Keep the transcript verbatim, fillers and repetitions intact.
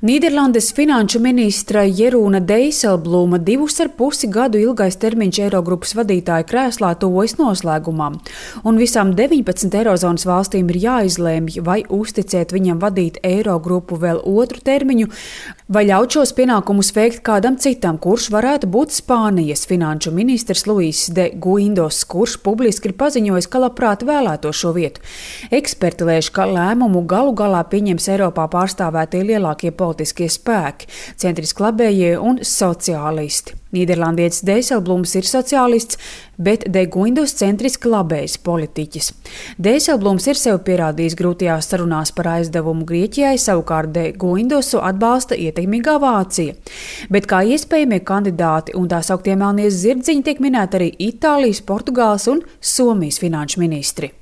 Nīderlandes finanšu ministra Jerūna Deiselblūma divus ar pusi gadu ilgais termiņš Eirogrupas vadītāja krēslā tuvojas noslēgumam, un visām deviņpadsmit Eirozonas valstīm ir jāizlēmj, vai uzticēt viņam vadīt Eirogrupu vēl otru termiņu, vai ļaut šos pienākumus veikt kādam citam, kurš varētu būt Spānijas finanšu ministrs Luis de Guindos, kurš publiski ir paziņojis, ka labprāt vēlēto šo vietu. Eksperti lēš, ka lēmumu galu galā pieņems Eiropā pārstāvētie lielākie politiskie spēki, centriski labējie un sociālisti. Nīderlandietis Deiselblums ir sociālists, bet de Guindos centriski labējs politiķis. Deiselblums ir sev pierādījis grūtajās sarunās par aizdevumu Grieķijai, savukārt de Guindosu atbalsta ietekmīgā Vācija. Bet kā iespējamie kandidāti un tā sauktie melnie zirdziņi tiek minēti arī Itālijas, Portugāles un Somijas finanšu ministri.